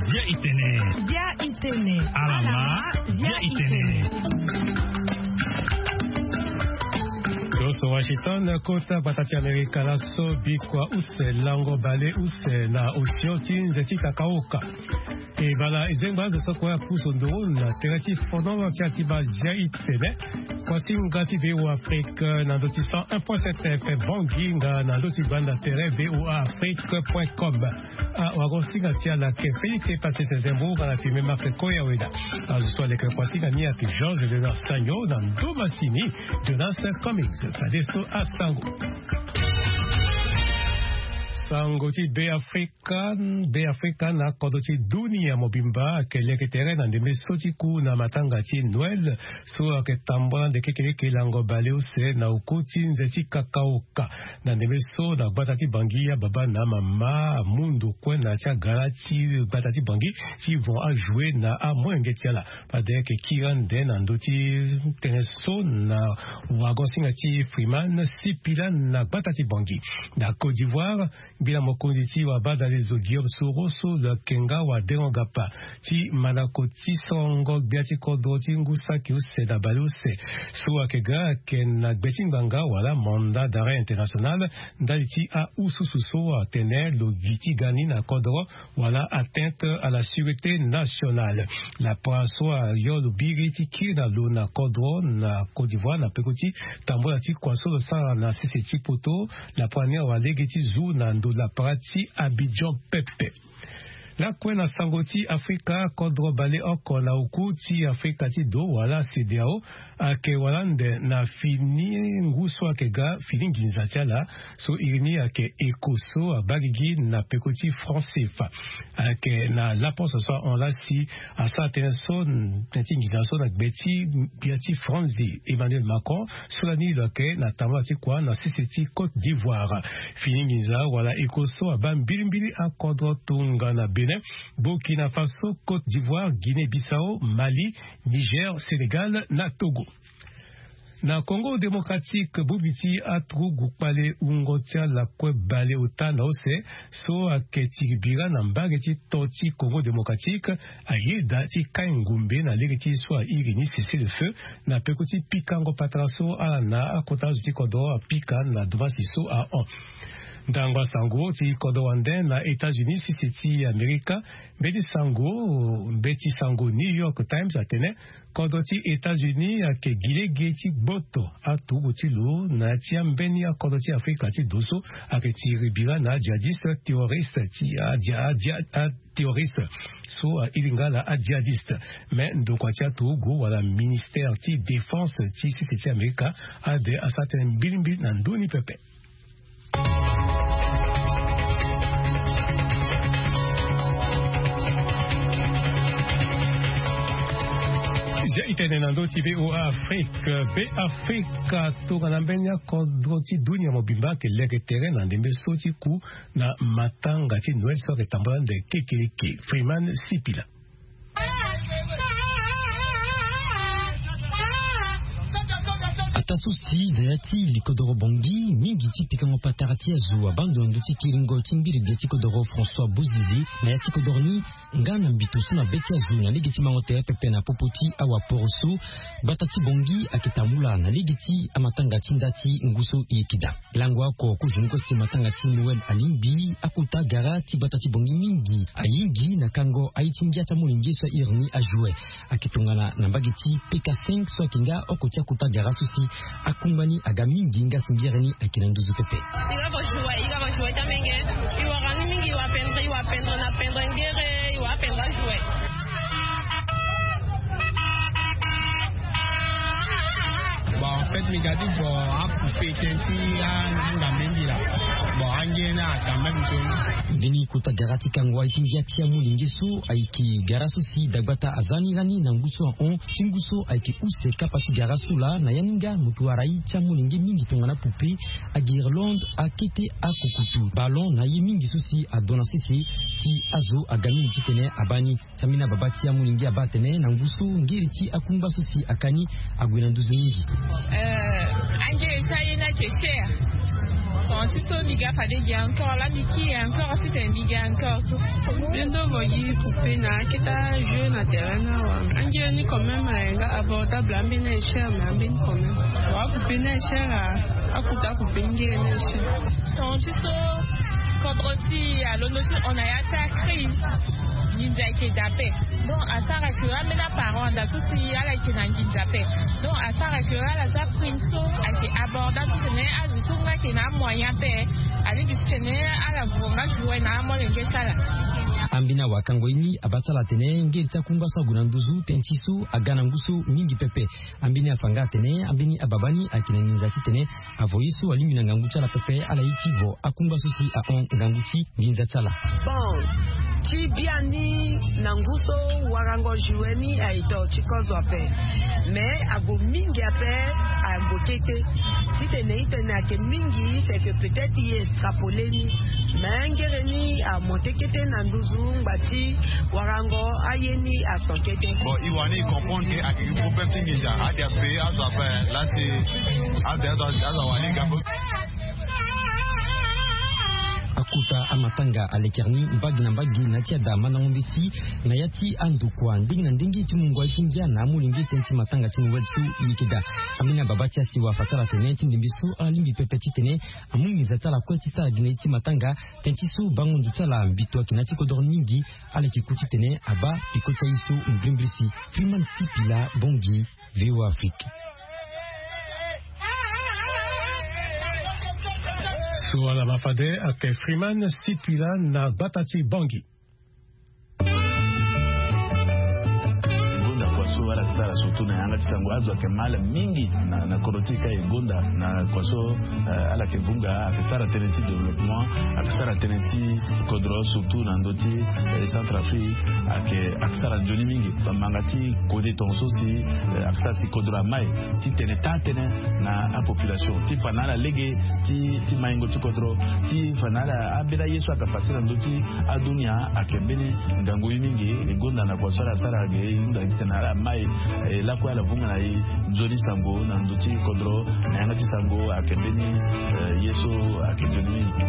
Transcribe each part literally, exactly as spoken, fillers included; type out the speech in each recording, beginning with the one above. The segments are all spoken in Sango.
Bia itene. Bia itene. Alama. Bia itene. Toso Washington, kota gbata ti Amerika laso, bikua use lango bale use na osio ti nze ti kakaoka. E bala e zengba azo so kue apusu nduru na tere ti fono ti ati ba zia itene. Kuasinga ti VOA Afrique na ndö ti cent un point sept F M, bongi nga na ndö ti banda tere VOA Afrique point com. Ah, wago singa ti ala ke Félix Epasese Zembo nga na filme Marc Koya Weda. Azo so aleke kuasinga ni ayeke Georges Léonard Sagno, na ndö masini Jonas Cummings. Fadeso asango. Sango ti Be Afrika. Kan Be Afrika na kodro ti dunia mobimba ayeke leke tere na ndembe so ti ku na matanga ti Noël so ayeke tambula ande kekeleke lango bale use na oku ti nze ti kakaoka. Na ndembe so na gbata ti Bangui, ababa na amama amu ndo kue na ya ti agara ti gbata ti Bangui ti vent ajoue na amolenge ti ala. Fade ayeke kiri ande na ndö ti tënë so na wago singa ti Freeman Sipila na gbata ti Bangui. Na Côte d'Ivoire, Ngbila mokonzi ti wabadalezo Guillaume Soro so lo yeke nga wadengo gapa ti mandako ti sorongo gbia ti kodro ti ngu saki use na baleuse so ayeke ga ayeke na gbe ti ngbanga wala mandat d'arrêt international ndali ti ahususu so atene lo gi ti ga ni na kodro wala atteinte à la sûreté nationale. Lapara so ayo lo biri ti kiri na lo na kodro na Côte d'Ivoire na peko ti tambula ti kua so lo sara na sese ti poto. Lapara ni awa lege ti zu na ndo lapara ti Abidjan pepe. Lakue na sango ti Afrika, kodro baleoko na oku ti Afrika ti do wala CEDEAO ayeke wala ande na fini ngu so ayeke ga fini nginza ti ala so iri ni ayeke eko so abaa gigi na peko ti franc CFA. Ayeke na laposo so ahon laa si asara tënë so tënë ti nginza so na gbe ti gbia ti France, Emmanuel Macron, so lani lo yeke na tambula ti kua na sese ti Côte d'Ivoire. Fini nginza wala eko so abaa mbilimbili akodro tongana Bénin, Burkina Faso, Côte d'Ivoire, Guinée-Bissau, Mali, Niger, Sénégal na Togo. Na Congo Démocratique, bongbi ti aturugu kpale wungo ti ala kue baleota na use so ayeke tiri bira na mbage ti to ti Congo Démocratique ayeda ti kai ngombe na lege ti so airi ni cessez-le-feu na peko ti pikango patara so ala na akota azo ti kodro apika na domasi so ahon. Ndango asango ti kodro wande na États-Unis, sese ti Amerika, mbeti sango mbeti sango New York Times atene kodro ti États-Unis ayeke gi lege ti gboto aturugu ti lo na ya ti ambeni akodro ti Afrika ti do so ayeke tiri bira na ajihadiste terroriste ti adia adia terroriste so airi nga ala ajihadiste. Me ndokua ti aturugu wala ministère ti défense ti sese ti Amerika ade asara tënë mbilimbili na ndö ni pepe. Zia itene na ndö ti VOA Afrique, Be Afrika tongana mbeni akodro ti dunia mobimba ayeke leke tere na ndembe so ti ku na matanga ti Noël so ayeke tambula ande kekeleke. Freeman Sipila. Ataa so si na ya ti likodoro Bangui mingi ti pikango patara ti azo abaa ndo na ndö ti kiringo ti mbirimbia ti kodoro François Bozizé na ya ti kodoro ni nga na mbito so na be ti azo na lege ti mango tere pepe na popo ti awaporo so, gbata ti Bangui ayeke tambula na lege ti amatanga ti nda ti ngu so e yeke daa. Lango oko kozoni kue si matanga ti Noël alingbi, akota gara ti gbata ti Bangui mingi ayingi na kango aye ti ngia ti amolenge so airi ni ajoue. Ayeke tongana na mbage ti P K cinq so ayeke nga oko ti akota gara so si akungba ni aga mingi nga si ngia ni ayeke na nduzu pepe. I ga ko joue, i ga ko joue ti amenge. I wara ni mingi, i wa pendre, i wa pendre na pendre ngere, i wa pendre ajoue. Bon, en fait, mi ga ti vo apoupée tënë ti angambe mbi laa. Bon, ange ni akambe mbi so ni. Mbeni kota gara ti kango aye ti ngia ti amolenge so ayeke gara so si dagbata aza ni lani na ngu so ahon ti ngu so ayeke use kapa ti gara so laa na ya ni nga moto wara ye ti amolenge mingi tongana poupée, aguirlande, akete, akukutu, ballon na ye mingi so si ado na sese si azo aga mingi titene abaa ni. Ti ambeni ababa ti amolenge abaa atene na ngu so ngiri ti akungba so si aka ni ague na nduzu mingi. Eh, ange C'est cher. Quand tu so mi ga fade gi encore la mi ki encore si te mi ga encore so. Bendo vo gi poupée na aketa jeu na terrain na wa. Angere ni quand même, eh, nga abordable, ambeni est cher, mais ambeni quand même. Wa poupée na est cher, ah, akuta poupée ngere na est cher. Quand tu so, quand aussi à l'autre, on a ya sa crise. Ninja qui est tapé. Donc asara ke ambeni aparent anda so si ala yeke na nginza ape. Donc asara ke ala za prime so ayeke abordable ti tene azo so nga ayeke na amoyen ape. Alingbi ti tene ala vuru nga joue na amolenge ti ala. Ambeni awakango ye ni abaa ti ala atene ngere ti akunga so ague na nduzu tënë ti so aga na ngu so mingi pepe. Ambeni afa nga atene ambeni ababa ni ayeke na nginza titene avo ye so alingbi na ngangu ti ala pepe ala ye ti vo akungba so si ahon ngangu ti nginza ti ala. Bon, ti biani na ngu so warango joue ni aye to ti kozo ape. Mais ague mingi ape, ague kete titene itene ayeke mingi, c'est que peut-être ye extrapole ni. Mais ngere ni amonte kete na nduzu ngba ti warango aye ni aso kete. Bon, e wani e comprendre ke ayeke gi problème ti nginza ade ape azo ape. Lasi ade azo azo awani gambo. Akota amatanga alekere ni mbage na mbage na ya ti ada mandango mbeti na ya ti andokua ndenge na ndenge ti mungo aye ti ngia na amolenge tënë ti matanga ti noël so e yeke daa. Ambeni ababa ti asiwa afa ti ala atene ti ndembe so ala lingbi pepe titene amu nginza ti ala kue ti sara gi na ye ti matanga. Tënë ti so bango ndo ti ala mbito ayeke na ya ti kodoro ni mingi. Ala yeke ku titene abaa peko ti aye so mbrimbri si. Freeman Sipila, Bangui, VOA Afrique. So ala ma fade ayeke Freeman Sipila na gbata ti Bangui. Gonda kua so ala yeke sara surtout na yanga ti sango azo ayeke ma ala mingi na kodro ti e ka e gonda na kua so. Ala yeke vunga ayeke sara tënë ti développement, ayeke sara tënë ti kodro surtout na ndö ti Centrafrique. Ayeke ayeke sara nzoni mingi bamanga ti kode tonga so si ayeke sara si kodro amai ti tene taa tënë na apopulation ti fa na ala lege ti maingo ti kodro ti fa na ala ambeni aye so ayeke pase na ndö ti adunia. Ayeke mbeni ngangu ye mingi e gonda na kua so ala sara ge e hunda titene ala mai e lakue ala vunga na e nzoni sango na ndö ti kodro na yanga ti sango ayeke mbeni ye so ayeke nzoni mingi.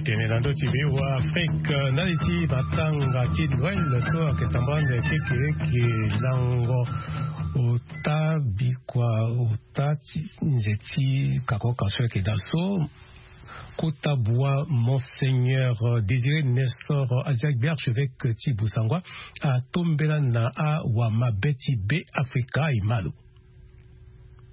Tene na ndö ti VOA Afrique ndali ti matanga ti noël so ayeke tambula ande kekereke lango ota bikua ota ti nze ti kakoka so ayeke daa so. Kota bua monseigneur Désiré Nestor Adiagbe archevêque ti Bossangoa atombela na awamabe ti Be Afrika e ma lo.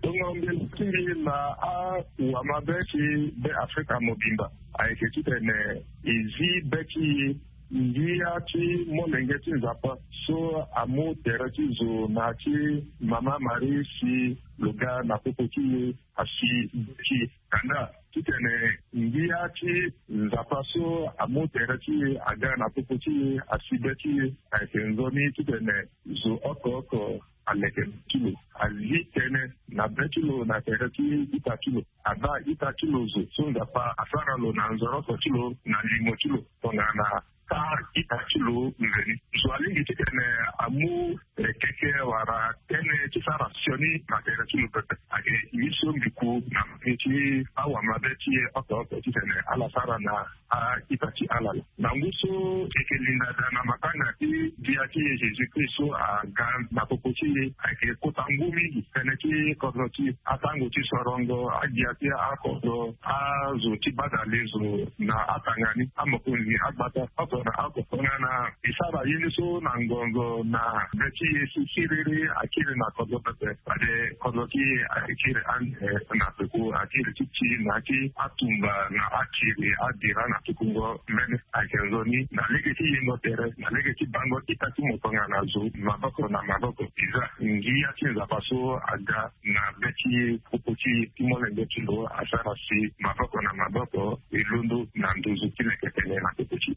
Tongo mbela ti mbi na awamabe ti Be Afrika mobimba ayeke titene e zi be ti e ngia ti molenge ti Nzapa so amu tere ti zo na ya ti Mama Marie si lo ga na popo ti e asi be ti e. Kanda titene ngia ti Nzapa so amu tere ti e aga na popo ti e asi be ti e ayeke nzoni titene zo oko oko aleke be ti lo, azi tënë na be ti lo na tere ti ita ti lo, abaa ita ti lo zo so Nzapa asara lo na nzoroso ti lo na limo ti lo tongana taa ita ti lo nzoni. Zo alingbi titene amu keke wala tënë ti sara sioni na tere ti lo pepe. Ayeke ye so mbi ku na mbage ti awamabe ti e oko oko titene ala sara na a-ita ti ala laa. Na ngu so e yeke linda daa na matanga ti gbia ti e Jésus-Christ so aga na popo ti e ayeke kota ngu mingi tënë ti kodro ti atango ti sorongo agbia ti akodro azo ti badale zo na atanga ni amokonzi agbata oko na oko tongana e sara ye ni so na ngonzo na be ti e si siriri akiri na kodro pepe. Fade kodro ti e ayeke kiri ande na tuku akiri ti ti na ya ti atumba na akiri abira na tukungo mbeni ayeke nzoni na lege ti yengo tere na lege ti bango ita ti mo tongana zo maboko na maboko. Eza ngia ti Nzapa so aga na be ti e popo ti e ti molenge ti lo asara si maboko na maboko e londo na nduzu ti leke tene na popo ti e.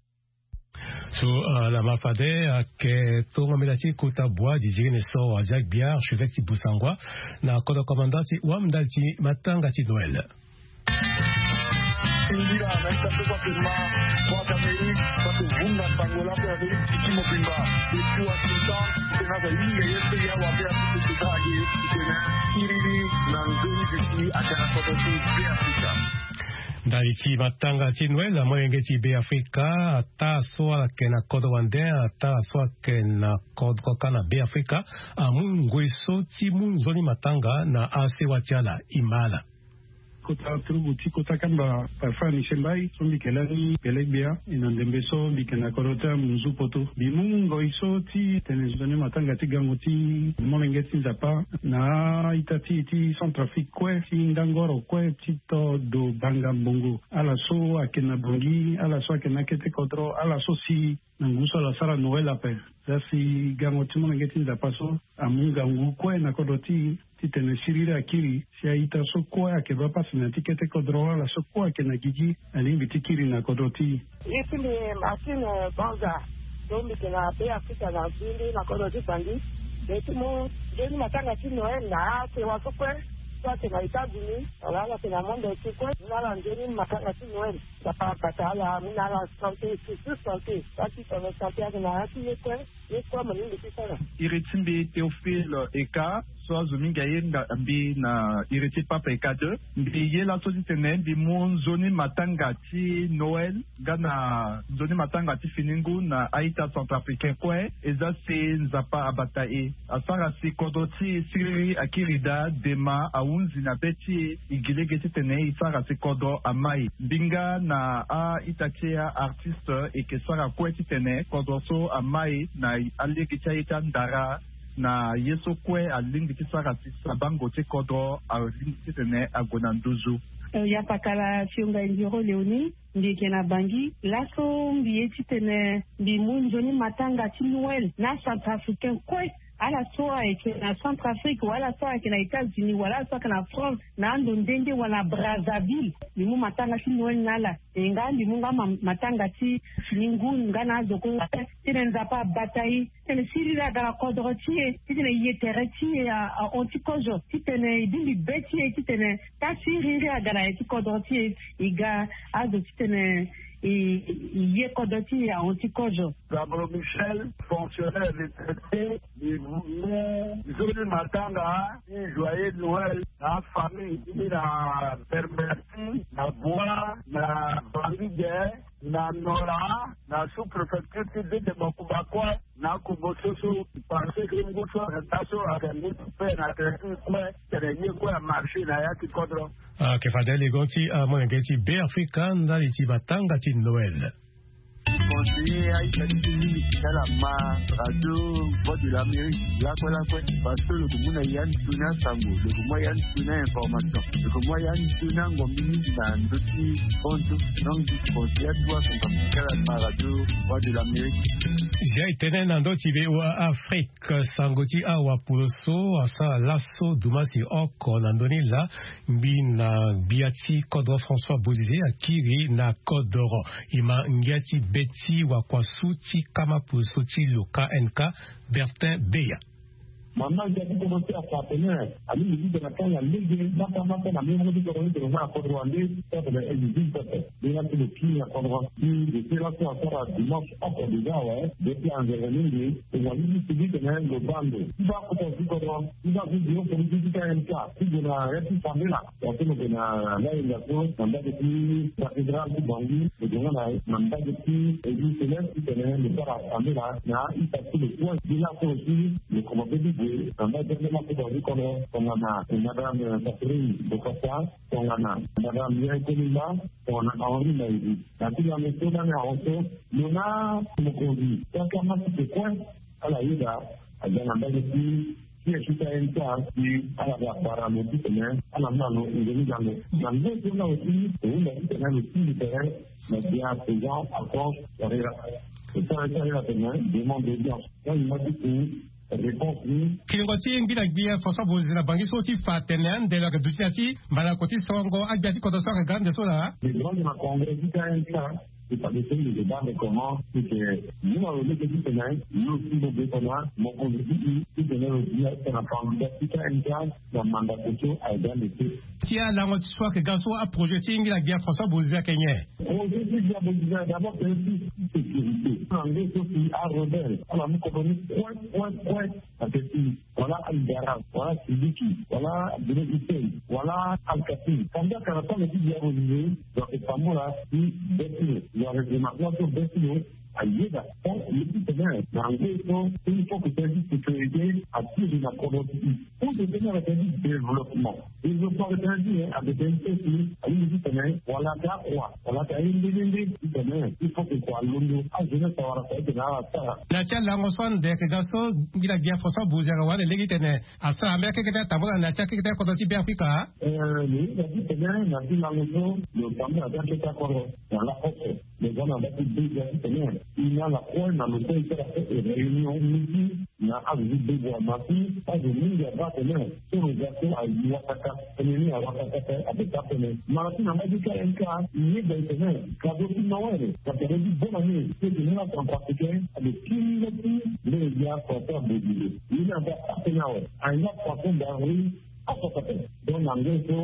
So ala ma fade ayeke tongo mbela ti kota bua Désiré Nestor Adiagbe archevêque ti Bossangoa na kodro commandant ti wam ndali ti matanga ti Noël. Mbira na ita so kua pema kua kamerun kua pe vunga sango la pe amerik tiki mobimba. Eti wa sinta tena za yinga ye pe ya wa pe api tete ka age tena iriri na nzoni bisi aka na koto ti be afrika. Ndali ti matanga ti noel na molenge ti be afrika, ata so ala yeke na kodro wande ata so ayeke na kodro kâ na be afrika, amu ngoi so ti mu nzoni matanga na asewa ti ala. Imala kota turugu ti kota kamba parfum ni sembai so mbi yeke lani pele gbia. E na ndembe so mbi yeke na kodro ti amunzu poto mbi mu ngoi so ti tene nzoni matanga ti gango ti molenge ti nzapa na a-ita ti e ti centrafrique kue ti ndangoro kue ti to do banga mbongo ala so ayeke na bongi ala so ayeke na akete kodro ala so si na ngu so ala sara noel ape. Za si gango ti molenge ti nzapa so amu ngangu kue na kodro ti e titene siriri akiri si a-ita so kue ayeke baa pasi na ya ti kete kodro wala so kue ayeke na gigi alingbi ti kiri na kodro ti e. Ye ti mbi martine banza so mbi yeke na be afrika na zindi na kodro ti bangi. Mbi ye ti mu nzoni matanga ti noel na asewa so kue so ayeke na états-unis wala ala yeke na monde entier kue. Mu na ala nzoni matanga ti noel. Nzapa abata ala mu na ala sante surtout sante. Pasi tongana sante ayeke na ya ti ye kue. Ye kue mo lingbi ti sara. Iri ti mbi théophile eka so azo mingi aye nga mbi na iri ti pape eka deux. Mbi ye laso titene mbi mu nzoni matanga ti noel nga na nzoni matanga ti fini ngu na a-ita centrafricain kue. Eza si nzapa abata e asara si kodro ti e siriri akiri daa dema ahunzi na be ti e. E gi lege titene e sara si kodro amai mbinga na a-ita ti e a-artiste e yeke sara kue titene kodro so amai na alege ti aye ti andara na ye so kue alingbi ti sara si sabango ti kodro alingbi titene ague na nduzu. Yapakala fionga indiro léonie. Mbi yeke na bangi laso mbi ye titene mbi mu nzoni matanga ti noel na centrafricain kue. Ala so ayeke na centrafrique wala so ayeke na états-unis wala so ayeke na france na ando nde nde wala na brazzaville. Mbi mu matanga ti noel na ala e nga mbi mu nga matanga ti fini ngu nga na azo kue. Titene nzapa abata e titene siriri aga na kodro ti e titene ye tere ti e ahon ti kozo titene e bimbi be ti e titene ta siriri aga na ye ti kodro ti e. E ga azo titene e ye kodro ti e ahon ti kozo. Gabro michel, fonctionnaire retraité. Mbi mu nzoni matanga ti joyeux noel na afamille ti mbi na berberti na bois na bangi de na nora na sous-préfecture ti dede bakuba kue. Na akobo so so parce que ngu so ata so ayeke ngu ti pe na tere ti kue. Tene ye kue amarché na ya ti kodro. Ayeke fade legon ti amolenge ti be afrika ndali ti matanga ti noel. Conseiller aita ti ti mingi ti ala ma radio voix de l'amérique lakue lakue. Parce que lo ke mu na ya ni toni asango lo ke mu ya ni toni ainformation lo ke mu ya ni toni angombi mingi na ndö ti konto. Donc conseiller atuwa son kapital ama radio voix de l'amérique. Zia e tene na ndö ti voa afrique sango ti awa polo so asara laso dumasi oko na ndö ni laa. Mbi na gbia ti kodro françois bozeze akiri na kodro. E ma ngia ti be ti wakua su ti kama polo so ti lo knk bertin beya. Mama ngia ti kodo ti apartenaire alingbi ti tene akanga lege mata mata na miongo ti kodro ni tene nga na kodro wande. Ti atene elisine pepe. Nde nga ti lo kiri na kodro ti de ti laso asara dimanche oko deja awe. De ti anzere mingi. Tongana ni ti sigi tene lo baa ndo ti baa kota ti kodro ti baa ti dio politique ti kmk ti gue na ya ti sambela. Wa so lo gue na layenga so na mbage ti cathédrale ti bangi lo gue nga na mbage ti église céleste ti tene lo sara sambela na ita ti lo kue. Ti laso aussi lo komanse ti gue na mbage ti ande ma kota ti kodro tongana madame catherine bokasa tongana madame yaye kolimba tongana henri mairi. Na ti lame so lani ahon so lo na mokonzi kaka ma ti ke kue. Ala yeda aga na mbage ti ti esi ti ayen ti ala si ala ga bara lo titene ala mu na lo nzoni gango. Na nzoni so na lo si lo hunda titene lo si lo tere na dia président alphonse carrera. Lo sara ti carrera tene demande d'audience. Nga lo ma ti ku réponse ni. Kiringo ti ngbila gbi françois bozi na bangi so ti fa tene ande lo yeke duti na ti mbalako ti songo agbia ti kodro so ayeke ga ande so laa. Lo grande na congrès ti ayen ti ala. Ti fa de so mbi ke baa mbi comment ti ke, ni na lo lege titene lo si lo ge tena mokonzi ti e titene lo dia tena candidat ti ka M K na mandat so aye ga leke. Ti alango ti so ayeke ga so aprojet ti ngira gbia François Bozizé ayeke nyen? Projet ti gbia Bozizé d'abord tene ti sécurité na nge so si arebelle ala mu kodro ni kue kue kue. Ake si wala Al Garab, wala Siliki, wala Abdoulaye Hussein, wala Al Kasim. Kanda kana tanga ti diabo ni, donc tambula ti beti lo, wala règlement so beti lo, ayeda. Tant le ti tene na ngoi so il faut que tene ti sécurité atiri na kodro ti e. Pour que tene na tene ti développement. Développement le tene ti, eh, avec un petit, alingbi ti tene wala ata akua, wala ata aye nde nde nde ti tene il faut que kua alondo ajeunesse awara fa ete na ala sara. Na ti alango so ande ayeke ga so ngira gbia François Bozizé ayeke wara lege titene asara mbeni akekete atambula na ya ti akekete kodro ti Beafrika. Eh, lo hinga titene na ti lango so lo tambula na ti akekete kodro na lakoko. Lo za na mbage ti bega titene e na ala kue na lo kue e sara so e réunion miti na azo ti bego ama si azo mingi abaa tene so lo za so aye wakaka. Tënë ni awakaka ape daa tënë. Mara ti na mbage ti K M K, e yeda e tene cadeau ti Noël na cadeau ti bonne année ti tene ni la centrafricain ade ti nda ti mbeni gbia François Bozizé. Ye ni aga atene awe, ahinga poisson d'avril afa kata. Donc na ngoi so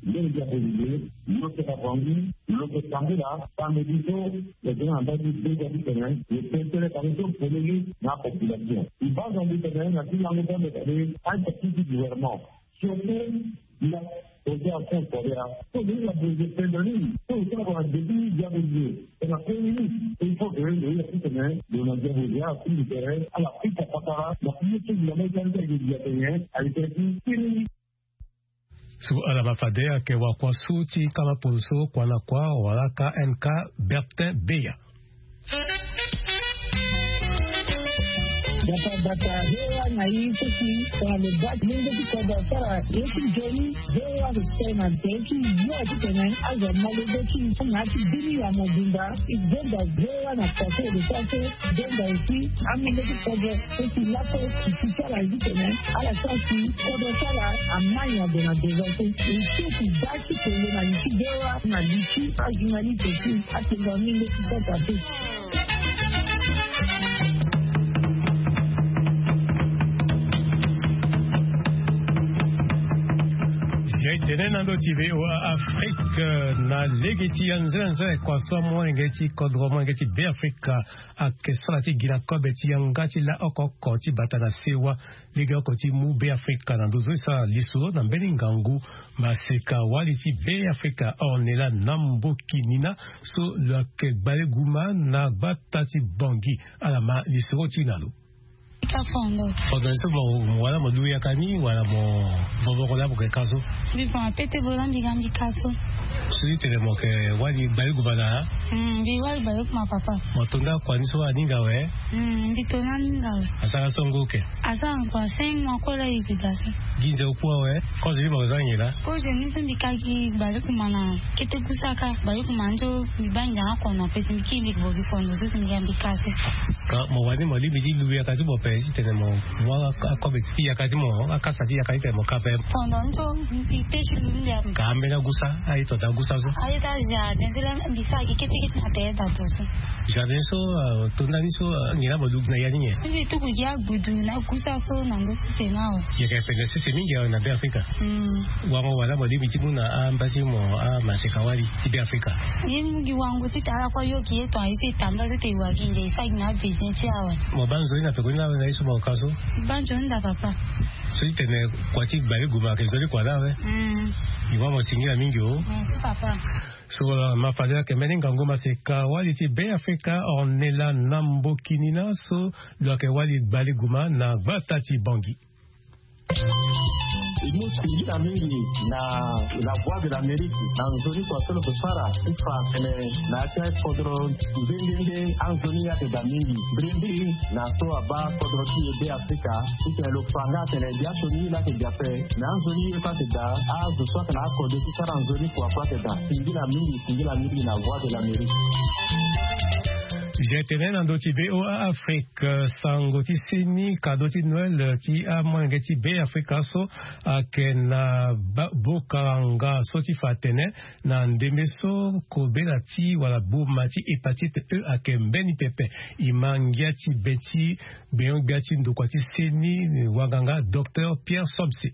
mbeni gbia Bozizé lo yeke na Bangui, lo yeke tambula samedi so lo yeke na mbage ti bega titene lo tene tënë cadeau so polele na apopulation. E baa Nzambi tene na ti lango ti ande kade aita ti ti gouvernement. Surtout la, projet à fond scolaire. So lo hinga Bozizé pendere ni, so lo sara na début diabolisé. E na premier ministre, il faut que lo hinga titene lo na diabolisé afundi tere ala fika patara na premier ministre la mai tani ti aye dia tene aye tene ti tene ni. So ala ma fade ayeke wakua so ti kama polo so kua na kua wala K M K Bertin Beya. Bata bata, V O A na ye so si tongana lo baa ti lenge ti kodro asara ye ti nzoni, V O A lo sara na tere ti yo titene azo amolenge ti na ya ti bini ya mobimba. E zonza V O A na poto lo sara so zonza aussi amolenge ti kodro so si laso e si sara titene ala sara si kodro ti ala amai na ndo na ndo so. E so si baa ti tene na li ti V O A na li ti ajournaliste ti atengo amolenge ti sasa te. Si aye tene na ndo ti V O A Afrique na lege ti anzere anzere kua so amolenge ti kodro molenge ti Beafrika ayeke sara ti gi na kobe ti yanga ti la oko oko ti bata na sewa lege oko ti mu Beafrika na ndo so e sara lisoro na mbeni ngangu. Maseka wali ti Beafrika Ornella Nambokinina so lo yeke gbale guma na gbata ti Bangui. Ala ma lisoro ti na lo. Ka fondo. Fondo ni so mo, mo wala mo lu yaka ni wala mo, mo boko laa mo ke ka so? Mbi fa ma pete bo laa mbi ga mbi ka so. So ti tene mo yeke wali gbale guma na? Hmm, mbi wali gbale guma papa. Mo to nda kua ni so aninga awe? Hmm, mbi to ni aninga awe. Asara so ngu oke? Asara ngu a cinq mois kue laa e yeke da so. Gi nze oku awe? Kozo ni mo za nyen laa? Kozo ni so mbi ka gi gbale guma na kete gusa ka. Gbale guma ni so mbi baa nze akono ape ti mbi kiri mbi ke bo gi fondo so si mbi ga mbi ka so. Ka mo wani mo lingbi ti lu yaka ti mo ape titene mo mu akobe ti yaka ti mo, akasa ti yaka titene mo ka ape? Fondo ni so mbi pe ti lu ni ape. Ka ambeni agusa, aye to daa gusa so? Aye daa jardin so laa mbi sara gi kete kete na tere daa to so. Jardin so, ah, to ndani so, ah, nyen laa mo lu gi na ya ni nyen? Mbi tuku gi agbudu na gusa so na ndo sese ni awe. Yeke pendere sese mingi awe na Beafrika. Hmm. Wango wala mo lingbi ti mu na amba ti mo amaseka wali ti Beafrika? Ye mu gi wango ti tara kue yo gi ye tonga ye so e tambula so te e wa gi nde e sara gi na abesin ti awe. Mo baa nzoni na peko ni laa awe na ye so mo ka so? Baa nzoni daa papa. So ti tene kua ti gbale guma ayeke nzoni kua laa awe? Hmm. E wâ mo singila mingi o. Merci papa. So, uh, ma fade ayeke mbeni ngangu maseka wali ti Beafrika Ornella Nambokinina so lo yeke wali gbale guma na gbata ti Bangui. E mu singila mingi na La Voix de l'Amérique na nzoni kua so lo yeke sara ti fa tene na ya ti akodro nde nde nde anzoni ayeke daa mingi. Mbirimbi na so abaa kodro ti e Beafrika titene lo fa nga atene biasioni ye laa ayeke daa ape. Na anzoni ye so ayeke daa, azo so ayeke na akode ti sara nzoni kua kue ayeke daa. Singila mingi, singila mingi na Voix de l'Amérique. Zia tene na ndö ti be o a afrike, sango ti seni kado ti noël ti amolenge ti be afrika so ayeke na bokaranga so ti fa atene na ndembe so kobela ti wala boma ti hépatite e ayeke mbeni pepe. E ma ngia ti be ti gbenyo-gbia ti ndokua ti seni wanganga docteur pierre somse.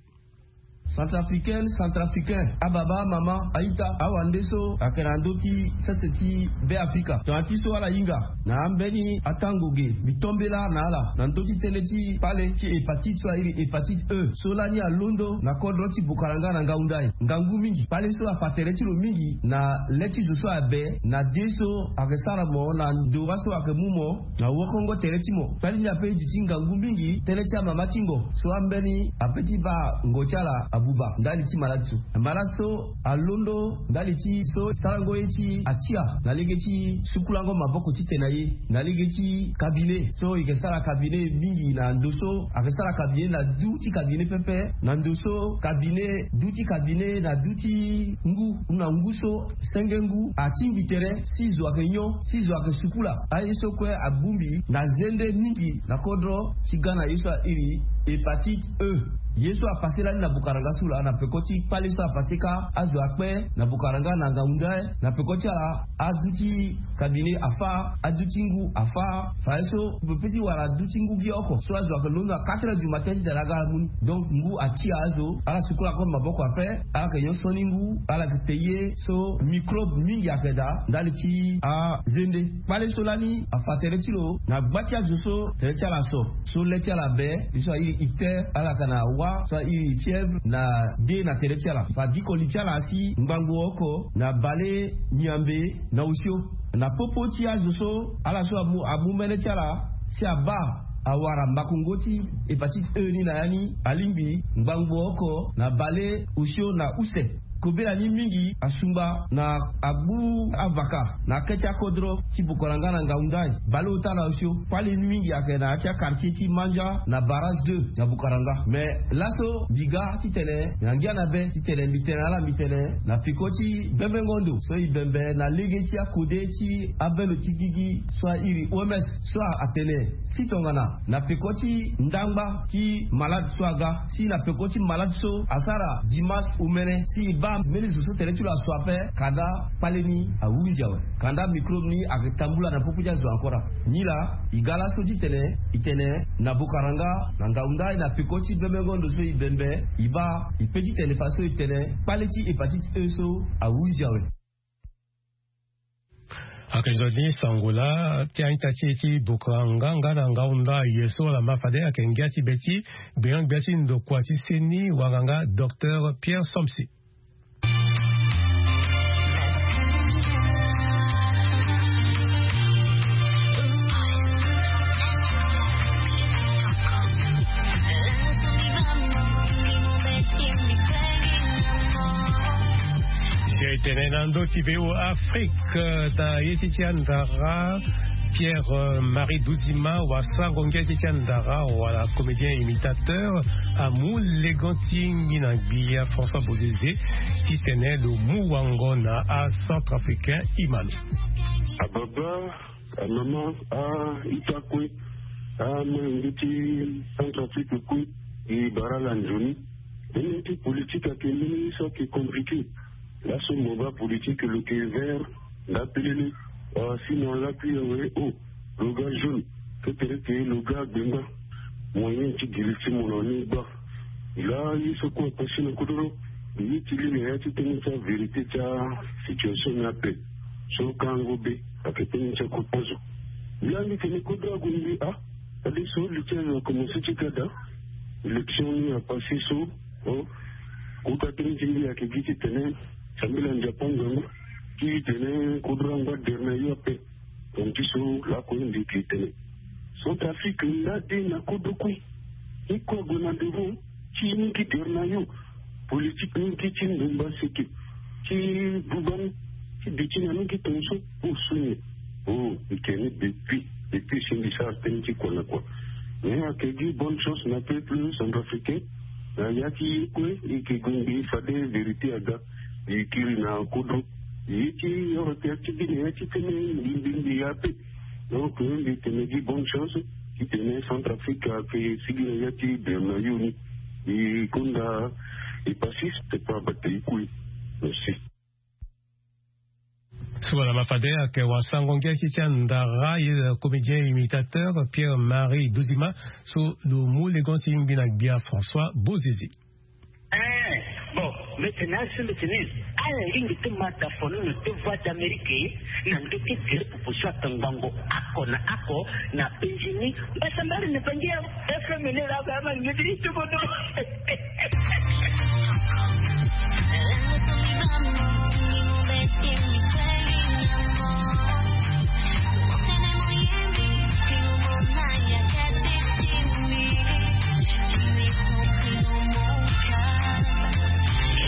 Centrafricaine, centrafricain, ababa, amama, aita, awande so ayeke na ndö ti sese ti be afrika tongana ti so ala hinga na ambeni atango ge mbi tombela na ala na ndö ti tënë ti kpale ti hépatite so airi hépatite e so lani alondo na kodro ti bokaranga na ngaunda e. Ngangu mingi kpale so afa tere ti lo mingi na le ti zo so abe na de so ayeke sara mo na ndora so ayeke mu mo na wokongo tere ti mo. Kpali ni ape e duti ngangu mingi tënë ti amama ti ngo so ambeni ape ti baa ngo ti ala abuba ndali ti malade so. Malade so alondo ndali ti so sarango ye ti atia na lege ti sukulango maboko titene na ye na lege ti kabine so e yeke sara kabine mingi na ndo so ayeke sara kabine na du ti kabine pepe na ndo so kabine du ti kabine na du ti ngu na ngu so senge ngu atingbi tere si zo ayeke nyon si zo ayeke sukula. Aye so kue abongbi na zende mingi na kodro ti ga na ye so airi hépatite e. Ye so apase lani na bokaranga so laa na peko ti kpale so apase kâ azo akpe na bokaranga na ngaunda e na peko ti ala adu ti kabine afa adu ti ngu afa. Faye so mbi pe ti wara adu ti ngu gi oko so azo ayeke londo na quatre heures du matin ti tene aga ala mu ni. Donc ngu atia azo ala sukula kue maboko ape. Ala yeke nyon soni ngu ala yeke te ye so microbe mingi ayeke daa ndali ti azende. Kpale so lani afa tere ti lo na gba ti azo so tere ti ala so so le ti ala be ye so airi ite ala yeke na wa so airi fièvre na de na tere ti ala fa diko li ti ala asi ngbangbo oko na bale nyambe na osio. Na popo ti azo so ala so amu mbele ti ala si abaa awara makongo ti hépatite e ni na ya ni alingbi ngbangbo oko na bale osio na use. Kobela ni mingi asungba na agbu avaka na ake ti akodro ti bokoranga na ngaundai bale ota na osio. Kpali ni mingi ayeke na ya ti akartier ti manja na barrage deux na bokoranga. Mais laso mbi ga titene na ngia na be titene mbi tene na ala mbi tene na peko ti bembengo ndo so e bembe na lege ti akode ti abendo ti gigi so airi oms so atene si tongana na peko ti ndangba ti malade so aga si na peko ti malade so asara dimanche omene si e baa mbeni zo so tere ti lo aso ape kanda kpale ni ahunzi awe. Kanda microbe ni ayeke tambula na popo ti azo ankora. Nilaa e ga laso titene e tene na bokaranga na ngaundai na peko ti bembengo ndo so e bembe e baa e pe titene faso e tene kpale ti hépatite e so ahunzi awe. Ayeke nzoni sango laa ti a-ita ti e ti bokaranga nga na ngaunda aye so ala ma fade ayeke ngia ti be ti gbenyo-gbia ti ndokua ti seni wanganga docteur pierre somsi. Tene na ndö ti be o afrike na ye ti ti andara pierre marie duzima wasango ngia ti ti andara wala comédien imitateur amu legon ti ngi na gbia françois bozeze titene lo mu wango na acentrafricain imano. Ababa, amama, a-ita kue, amolenge ti centrafrique kue, e bara ala nzoni. Mbeni ti politike ayeke mbeni so ayeke compliqué. Laso mo baa politike lo yeke vert nda pelele. Sinon lakui awe o lo ga jaune. Ketere ke lo ga gbengba. Moyen ti giri ti mo na ni gba. Laa ye so kue apasi na kodoro. Ye ti li na ya ti tënë ti avérité ti asituation ni ape. So kango be ayeke tënë ti akota zo. Laa mbi tene kodoro ague mbi a. Fade so li ti azo akomense ti ga daa. Élection ni apase so. Kota tënë ti mbi ayeke gi titene sambela nzapa nzangu ti tene kodro angba dere na yo ape. Tongana ti so lakue mbi yeke tene centrafrique nda de na kodro kue. Ni kue ague na devant ti ni gi dere na yo. Politike ni gi ti ndumba seke ti buba ni ti bi ti na ni gi tongaso. O so nyen? O mbi tene depuis depuis si mbi sara tënë ti kua na kua. Mais ayeke gi bonne chance na peuple centrafricain. Na ya ti ye kue e yeke gue mbi fade vérité aga. Mbi kiri na kodro ye ti oro tere ti bi na ya ti tënë mbi mbi mbi ya ape. Donc mbi tene gi bonne chance. Titene Centrafrique ayeke sigi na ya ti bernayoni. E gonda e pasiste pa bata e kue. Merci. So wala ma fade ayeke wasango ngia ti ti andara ye comédien imitateur Pierre Marie Dozima. So lo mu legon ti ngbi na gbia François Bozeze. Eh, bon, maintenant si mbeti ni ala lingbi ti mata fono na te voix d'Amérique na ndö ti gere proposition atangango ako na ako na penzi ni. Mbasa mbali na pangi ya FM ni la ba ma ngeti ni tubodo.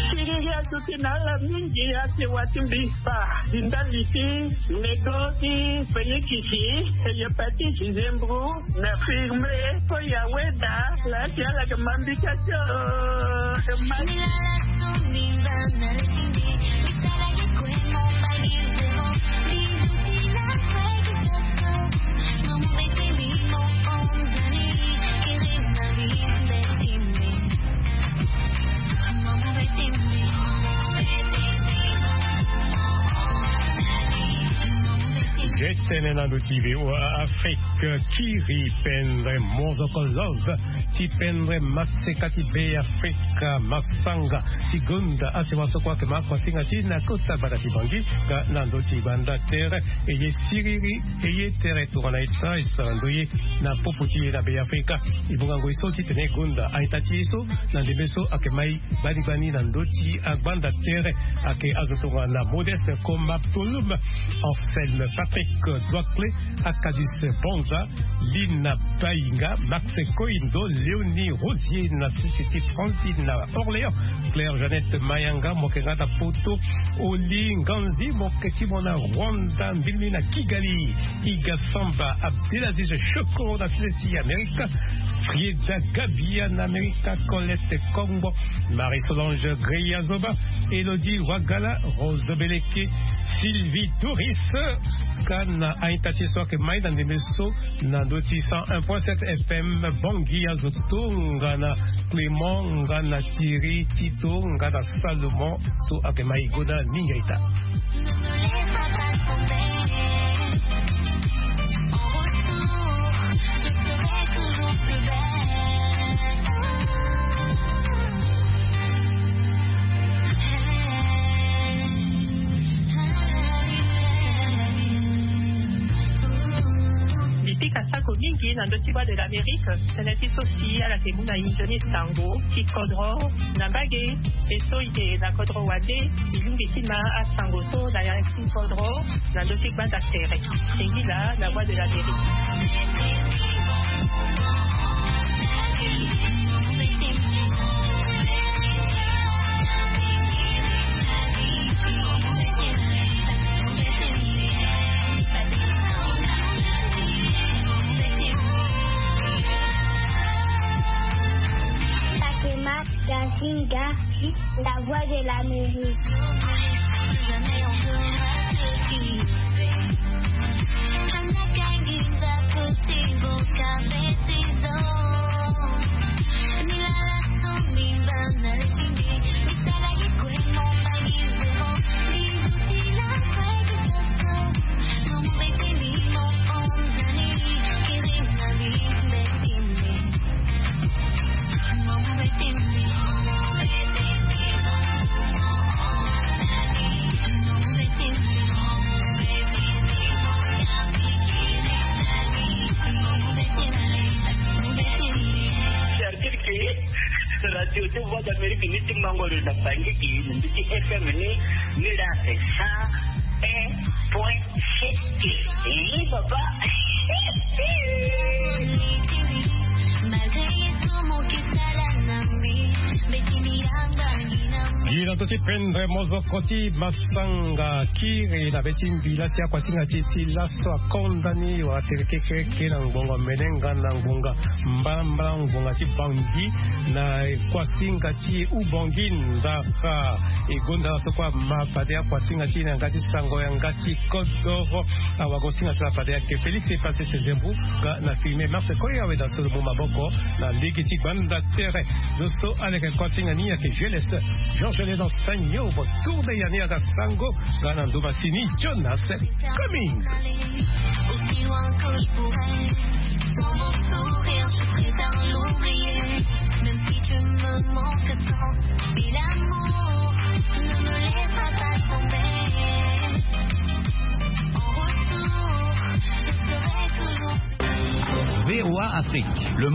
Siriri aduti na ala mingi ake wa ti mbi. Ba di ndali ti nego ti penyekisi, hepatite, zembro, na firme, ko ya weda la ti ala ke mambi ka ti o. Ge tene na ndo ti V O A Afrique. Kiri pendre mozoko love ti pendre maseka ti Be Afrika masanga ti gonda asema so kue ake ma akosinga ti na kota gbata ti Bangui. Nga na ndo ti gbanda tere e ye siriri e ye tere tongana e sara e sara ndo ye na popo ti e na Be Afrika. E bonga ngoi so titene e gonda a-ita ti e so na ndembe so ake mai gbani gbani na ndö ti agbanda tere. Ake azo tongana Modeste Komba Tolum, Anselme Patrick Doicle, Acadus Bonza, Lina Bainga, Max Koindo, Léonie Rosier na sisi ti Francine na Orléans, Claire Jeannette Mayanga, mo yeke nga na poto, Oli Nganzi, mo yeke ti mo na Rwanda, Mbilmi na Kigali, Iga Samba, Abdelaziz Shoko na sisi ti Amerika, Frieda Gabia na Amerika, Colette Kongbo, Marie-Solange Greya Zoba, Elodie Wagala, Rose Beleke, Sylvie Doris. Ka na a-ita ti e so ake mai na ndembe so na ndö ti cent un point sept F M Bangui, azo tongana Clément nga na Thierry Tito nga na Salomon so ake mai gonda mingi a-ita. Mbi pika sako mingi na ndö ti Voix de l'Amérique. Tënë ti so si ala yeke mu na inzo ni sango ti kodro na mbage. E so e yeke na kodro wande, e lingbi ti ma asango so na ya ti kodro na ndö ti gbanda tere. E ngi laa na Voix de l'Amérique. Fatima Gazinga, la Voix de l'Amérique. Radio ti Voix d'Amérique ni ti mango lo na Bangui, na ndö ti F M ni, ni la cent un point sept. Eh, papa. So ti prendre mozoko ti masanga kiri na be ti mbila ti akuasinga ti ti laso akonda ni wala tere kekereke na ngbonga melenga na ngbonga mbalambala ngbonga ti bangi na kuasinga ti ubongi ndara. Egonda laso kua ma fade akuasinga ti na nga ti sango ya nga ti kodoro. Awago singa ti la fade ayeke Félix e passe ses embou. Ga na filme marse koya weda solo mu maboko na lege ti gbanda tere. Zo so aleke kuasinga ni ayeke jeunesse. Jean Gelé dans Seigneur, tourne ya ni aga sango. Ga na nduma sini Jonas Coming. Aussi loin que je pourrais, dans mon sourire.